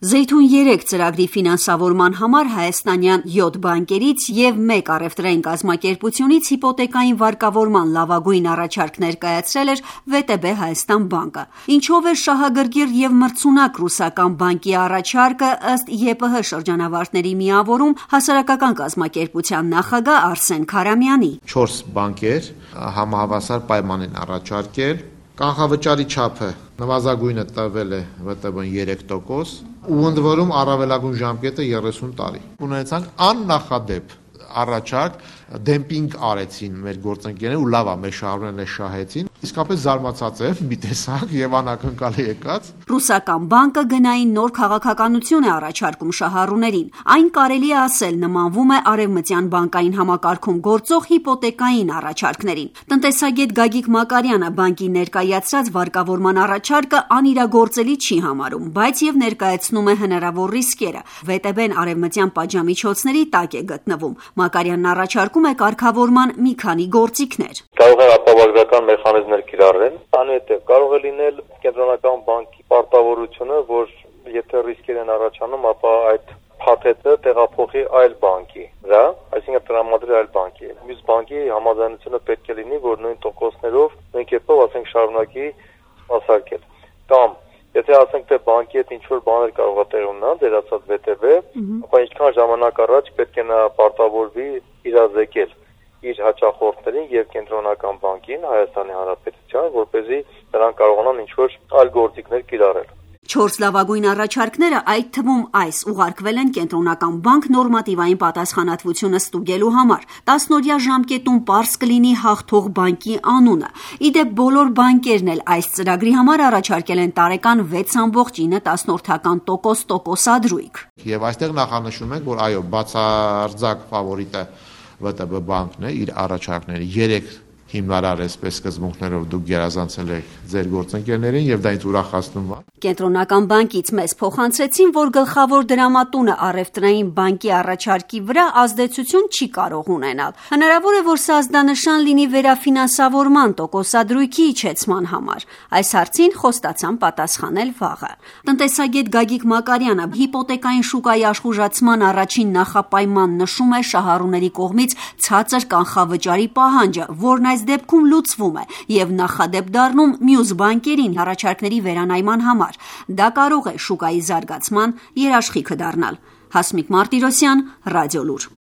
Զեյթուն 3 ծրագրի ֆինանսավորման համար հայաստանյան 7 բանկերից և 1 առևտրային կազմակերպությունից հիպոթեկային վարկավորման լավագույն առաջարկ ներկայացրել էր ՎՏԲ Հայաստան բանկը։ Ինչով էր շահագրգիռ և մրցունակ ռուսական բանկի առաջարկը, ըստ ԵՊՀ շրջանավարտների միավորում հասարակական կազմակերպության նախագահ Արսեն Քարամյանի։ 4 բանկեր համահավասար պայման են առաջարկել։ Կանխավճարի չափը նվազագույնը տվել է ՎՏԲ-ն 3%, ու ընդ որում առավելագույն ժամկետը 30 տարի։ Ունեցանք աննախադեպ առաջարկ, դեմպինգ արեցին մեր գործընկերները ու լավ է, մեր շահառուներն էլ շահեցին։ Իսկապես զարմացած եմ մի տեսակ եւ անակնկալ եկած։ Ռուսական բանկը գնային նոր քաղաքականություն է առաջարկում շահառուներին։ Այն կարելի է ասել նմանվում է արևմտյան բանկային համակարգում գործող հիպոթեկային առաջարկներին։ Տնտեսագետ Գագիկ Մակարյանը բանկի ներկայացրած վարկավորման առաջարկը անիրագործելի չի համարում, բայց եւ ներկայացնում է հնարավոր ռիսկերը։ ՎՏԲ-ն արևմտյան պատժամիջոցների տակ է գտնվում։ Մակարյանն առաջարկում է կարգավորման մի քանի գործիքներ։ Կարող է ապահովագրական մեխանիզմներ կիրառել, անհետև կարող է լինել կենտրոնական բանկի պարտավորությունը, որ եթե ռիսկեր են առաջանում, ապա այդ փաթեթը տեղափոխի այլ բանկի վրա, այսինքն տրամադրի այլ բանկի։ Մյուս բանկի համաձայնությունը պետք է լինի, որ նույն տոկոսներով, նույն կերպով, ասենք, շարունակի սպասարկել։ Կամ եթե ասենք թե բանկի հետ ինչ-որ բաներ կարող է տեղ ունենալ, դերացած ՎՏԲ, ապա ինչքան ժամանակ առաջ պետք է նա պարտավորվի իրազեկել իր հաճախորդներին եւ կենտրոնական բանկին Հայաստանի Հանրապետության, որպեսզի նրանք կարողանան ինչ-որ այլ գործիքներ կիրառել։ 4 լավագույն առաջարկները, այդ թվում այս, ուղարկվել են կենտրոնական բանկ նորմատիվային պատասխանատվությունը ստուգելու համար։ 10-օրյա ժամկետում պարզ կլինի հաղթող բանկի անունը։ Իդեպ բոլոր բանկերն էլ այս ծրագրի համար առաջարկել են տարեկան 6.9% տոկոսադրույք։ Եվ այստեղ նախանշում ենք, որ այո, բացարձակ ֆավորիտը ՎՏԲ բանկն է իր առաջարկների 3 հիմնարար այսպես սկզբունքներով դուք գերազանցել եք ձեր գործընկերներին եւ դա ինձ ուրախացնում է։ Կենտրոնական բանկից մեզ փոխանցեցին, որ գլխավոր դրամատունը առևտրային բանկի առաջարկի վրա ազդեցություն չի կարող ունենալ։ Հնարավոր է, որ սա ազդանշան լինի վերաֆինանսավորման տոկոսադրույքի իջեցման համար։ Այս հարցին խոստացան պատասխանել վաղը։ Տնտեսագետ Գագիկ Մակարյանը հիպոթեկային շուկայի աշխուժացման առաջին նախապայման նշում է շահառուների կողմից ցածր կանխավճարի պահանջը, որն այս դեպքում լուծվում է եւ նախադեպ դառնում մյուս բանկերին առաջարկների վերանայման համար։ Դա կարող է շուկայի զարգացման երաշխիքը դառնալ։ Հասմիկ Մարտիրոսյան, Ռադիոլուր։